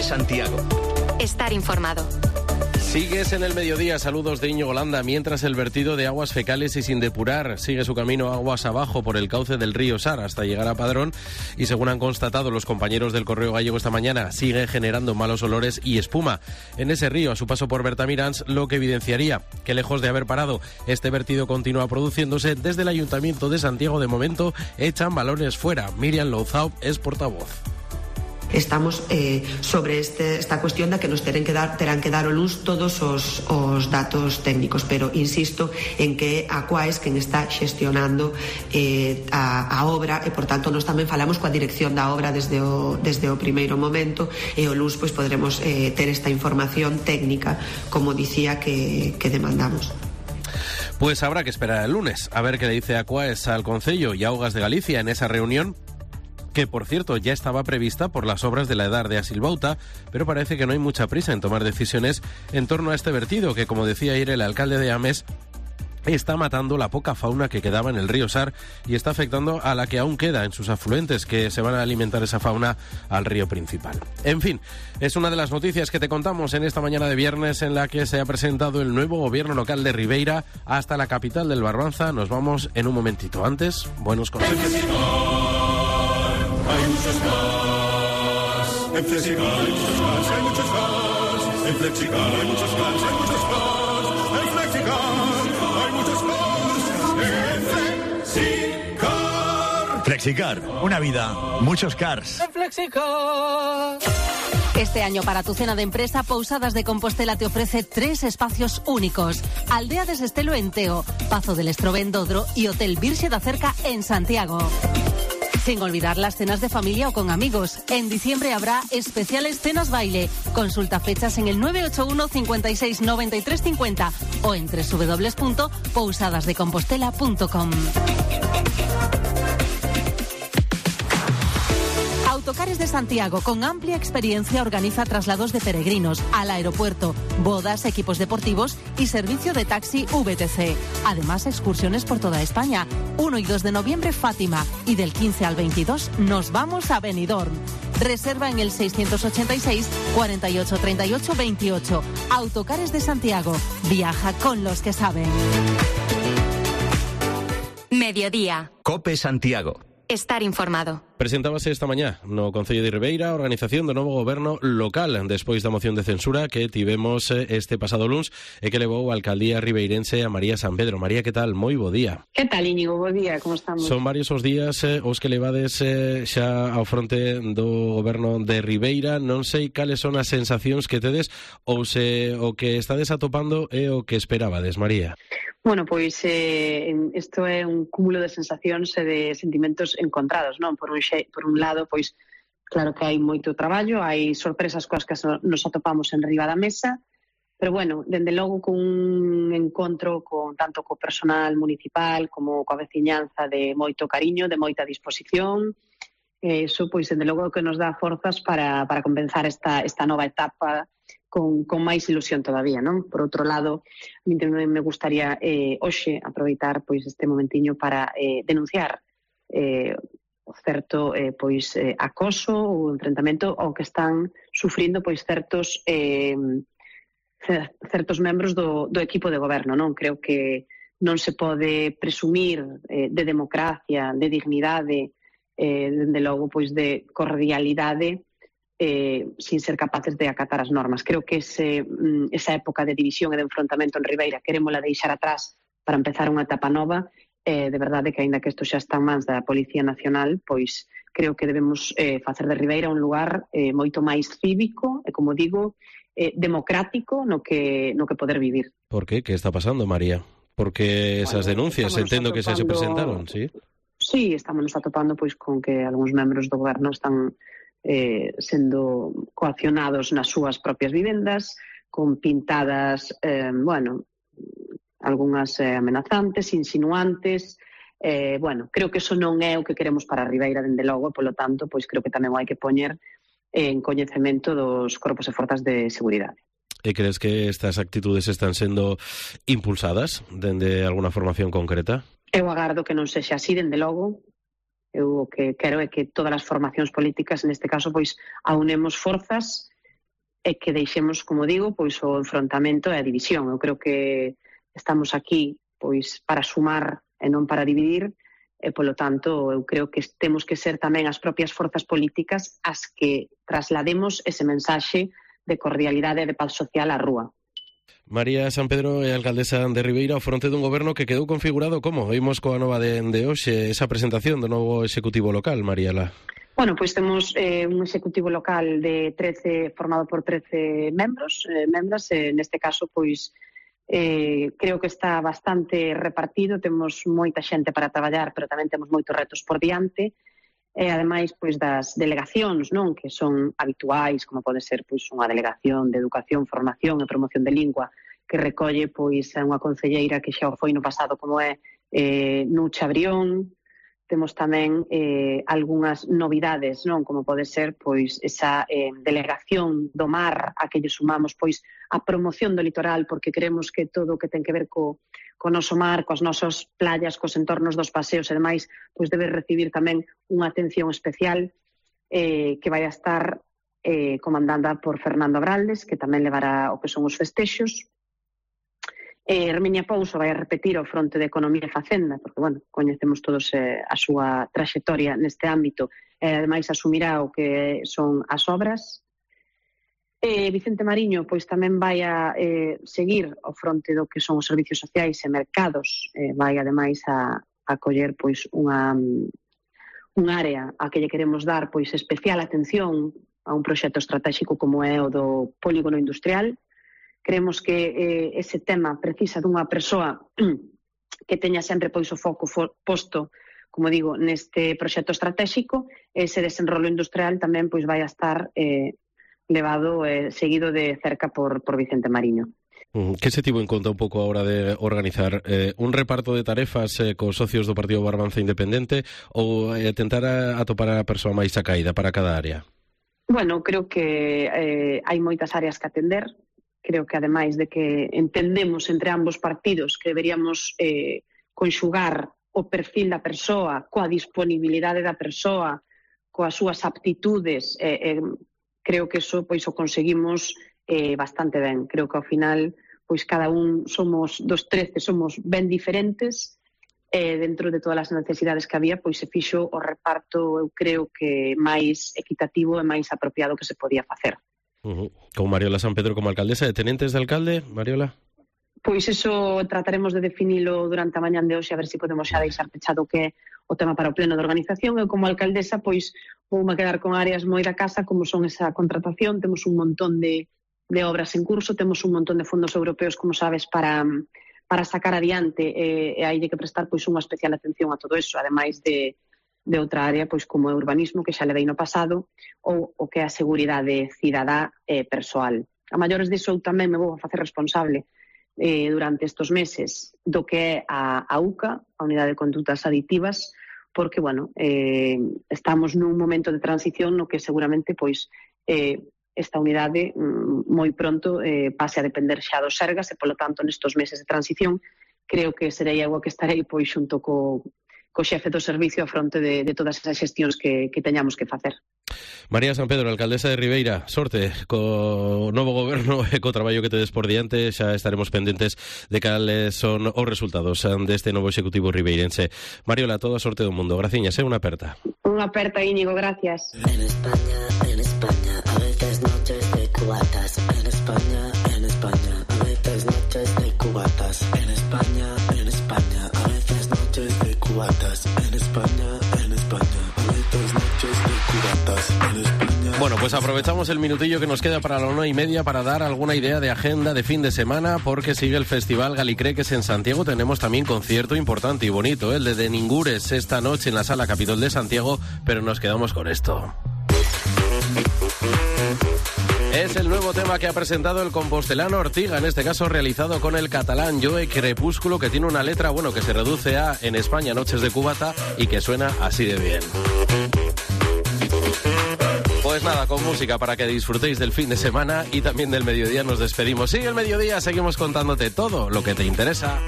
COPE Santiago. Estar informado. Sigues en el mediodía, saludos de Íñigo Landa, mientras el vertido de aguas fecales y sin depurar sigue su camino aguas abajo por el cauce del río Sar hasta llegar a Padrón y según han constatado los compañeros del Correo Gallego esta mañana, sigue generando malos olores y espuma en ese río a su paso por Bertamiráns, lo que evidenciaría que lejos de haber parado, este vertido continúa produciéndose. Desde el Ayuntamiento de Santiago de momento echan balones fuera. Miriam Louzao es portavoz. Estamos sobre esta cuestión da que nos terán que dar a luz todos os datos técnicos, pero insisto en que a Aquaes quen está xestionando a obra e, por tanto, nós tamén falamos coa dirección da obra desde o primeiro momento e o luz pois podremos ter esta información técnica, como dicía, que demandamos. Pues habrá que esperar el lunes a ver qué le dice Aquaes al Concello y Augas de Galicia en esa reunión, que por cierto ya estaba prevista por las obras de la Edar de Asilbauta, pero parece que no hay mucha prisa en tomar decisiones en torno a este vertido que, como decía ayer el alcalde de Ames, está matando la poca fauna que quedaba en el río Sar y está afectando a la que aún queda en sus afluentes, que se van a alimentar esa fauna al río principal. En fin, es una de las noticias que te contamos en esta mañana de viernes, en la que se ha presentado el nuevo gobierno local de Ribeira hasta la capital del Barbanza. Nos vamos en un momentito. Antes, buenos consejos. Hay muchos cars, en Flexicar hay muchos cars, hay muchos cars, en Flexicar hay muchos cars, hay muchos cars, en Flexicar hay muchos cars, en Flexicar. Flexicar, una vida, muchos cars. En Flexicar. Este año para tu cena de empresa, Pousadas de Compostela te ofrece 3 espacios únicos. Aldea de Sestelo en Teo, Pazo del Estrobe en Dodro y Hotel Virxe da Cerca en Santiago. Sin olvidar las cenas de familia o con amigos. En diciembre habrá especiales cenas baile. Consulta fechas en el 981 56 93 50 o en www.pousadasdecompostela.com. Autocares de Santiago, con amplia experiencia, organiza traslados de peregrinos al aeropuerto, bodas, equipos deportivos y servicio de taxi VTC. Además, excursiones por toda España. 1 y 2 de noviembre, Fátima. Y del 15 al 22 nos vamos a Benidorm. Reserva en el 686 48 38 28. Autocares de Santiago. Viaja con los que saben. Mediodía. COPE Santiago. Estar informado. Presentábase esta mañá no Concello de Ribeira a organización do novo goberno local despois da moción de censura que tivemos este pasado luns e que levou a alcaldía ribeirense a María San Pedro. María, que tal? Moi bo día. Que tal, Íñigo? Bo día, como estamos? Son varios os días os que levades xa ao fronte do goberno de Ribeira. Non sei cales son as sensacións que tedes ou se o que estades atopando é o que esperabades, María. Bueno, pois isto é un cúmulo de sensacións e de sentimentos encontrados, non? Por un lado, pois claro que hai moito traballo, hai sorpresas coas que nos atopamos en riba da mesa, pero bueno, dende logo con un encontro tanto co personal municipal como coa veciñanza de moito cariño, de moita disposición. Eso, pois, dende logo que nos dá forzas para comenzar esta nova etapa con máis ilusión todavía, non? Por outro lado, a mí tamén me gustaría hoxe aproveitar pois este momentiño para denunciar o certo acoso ou enfrentamento ao que están sufrindo pois certos membros do equipo de goberno, non? Creo que non se pode presumir de democracia, de dignidade, dende logo pois de cordialidade sin ser capaces de acatar as normas. Creo que esa época de división e de enfrontamento en Ribeira querémola deixar atrás para empezar unha etapa nova. De verdade que, aínda que isto xa está en mans da Policía Nacional, pois creo que debemos facer de Ribeira un lugar moito máis cívico e, como digo, democrático no que poder vivir. Por qué? Que está pasando, María? Porque esas denuncias, entendo que se presentaron, ¿sí? Sí, estamos atopando pois con que algúns membros do goberno están sendo coaccionados nas súas propias vivendas, con pintadas, algunhas amenazantes, insinuantes. Creo que eso non é o que queremos para Ribeira, dende logo, e, polo tanto, pois creo que tamén hai que poñer en coñecemento dos corpos e forzas de seguridade. E crees que estas actitudes están sendo impulsadas dende alguna formación concreta? Eu agardo que non sexa así, dende logo. Eu o que quero é que todas as formacións políticas, neste caso, pois aunemos forzas e que deixemos, como digo, pois o enfrontamento e a división. Eu creo que estamos aquí pois para sumar e non para dividir, e, polo tanto, eu creo que temos que ser tamén as propias forzas políticas as que traslademos ese mensaxe de cordialidade e de paz social á rúa. María San Pedro é alcaldesa de Ribeira ao fronte dun goberno que quedou configurado como? Vimos coa nova de hoxe esa presentación do novo executivo local, Mariela. Bueno, pois temos un executivo local de 13 formado por 13 membros, neste caso, pois creo que está bastante repartido, temos moita xente para traballar, pero tamén temos moitos retos por diante, e ademais pois das delegacións, non, que son habituais, como pode ser pois unha delegación de educación, formación e promoción de lingua, que recolle pois a unha concelleira que xa foi no pasado, como é Nucha Brión. Temos tamén algunhas novidades, non, como pode ser pois esa delegación do mar a que lle sumamos pois a promoción do litoral, porque creemos que todo o que ten que ver co noso mar, coas nosas playas, cos entornos dos paseos e demais, pois debe recibir tamén unha atención especial que vai a estar comandada por Fernando Abraldes, que tamén levará o que son os festexos. Herminia Pouso vai a repetir o fronte de Economía e Facenda, porque, bueno, coñecemos todos a súa traxectoria neste ámbito, e ademais asumirá o que son as obras. Vicente Mariño pois tamén vai a seguir o fronte do que son os servicios sociais e mercados, vai ademais a coller pois unha área a que lle queremos dar pois especial atención a un proxecto estratégico como é o do polígono industrial. Creemos que ese tema precisa dunha persoa que teña sempre pois o foco posto, como digo, neste proxecto estratégico. Ese desenrolo industrial tamén pois vai a estar levado seguido de cerca por Vicente Mariño. Que se tivo en conta un pouco a hora de organizar un reparto de tarefas cos socios do Partido Barbanza Independente ou tentar atopar a persoa máis acaída para cada área? Bueno, creo que hai moitas áreas que atender. Creo que, ademais de que entendemos entre ambos partidos que deberíamos conxugar o perfil da persoa coa disponibilidade da persoa, coas súas aptitudes, creo que eso pois o conseguimos bastante ben. Creo que ao final pois cada un somos dos 13, somos ben diferentes, dentro de todas as necesidades que había, pois se fixo o reparto, eu creo que máis equitativo e máis apropiado que se podía facer. Con Mariola San Pedro como alcaldesa, de tenentes de alcalde, Mariola? Pois eso trataremos de definilo durante a mañán de hoxe, a ver se podemos xa deixar pechado que é o tema para o pleno de organización. Eu como alcaldesa pois voume quedar con áreas moi da casa, como son esa contratación. Temos un montón de obras en curso, temos un montón de fondos europeos, como sabes, para sacar adiante, e hai que prestar pois unha especial atención a todo eso, ademais de outra área pois como é urbanismo, que xa levei no pasado, ou o que é a seguridade cidadá e persoal. A maiores disso eu tamén me vou a facer responsable durante estes meses do que é a UCA, a Unidade de Condutas Aditivas, porque, bueno, estamos nun momento de transición no que seguramente pois esta unidade moi pronto pase a depender xa dos Sergas, e, polo tanto, nestes meses de transición creo que serei eu que estarei pois xunto co xefe do servicio a fronte de todas esas xestións que teñamos que facer. María San Pedro, alcaldesa de Ribeira, sorte co novo goberno e co traballo que tedes por diante. Xa estaremos pendentes de cales son os resultados deste novo executivo ribeirense. Mariola, toda a sorte do mundo. Graciñas, unha aperta. Unha aperta, Íñigo, gracias. En España, a veces noches de cubatas. En España, a veces noches de cubatas. En España, a veces noches de cubatas. En España, a veces noches de cubatas. En España. Bueno, pues aprovechamos el minutillo que nos queda para la 1:30 para dar alguna idea de agenda de fin de semana, porque sigue el Festival Galicreques en Santiago. Tenemos también concierto importante y bonito, el de Ningures, esta noche en la Sala Capitol de Santiago, pero nos quedamos con esto. Es el nuevo tema que ha presentado el compostelano Ortiga, en este caso realizado con el catalán Joe Crepúsculo, que tiene una letra, bueno, que se reduce a En España, noches de cubata, y que suena así de bien. Pues nada, con música para que disfrutéis del fin de semana y también del mediodía nos despedimos. Sí, el mediodía seguimos contándote todo lo que te interesa.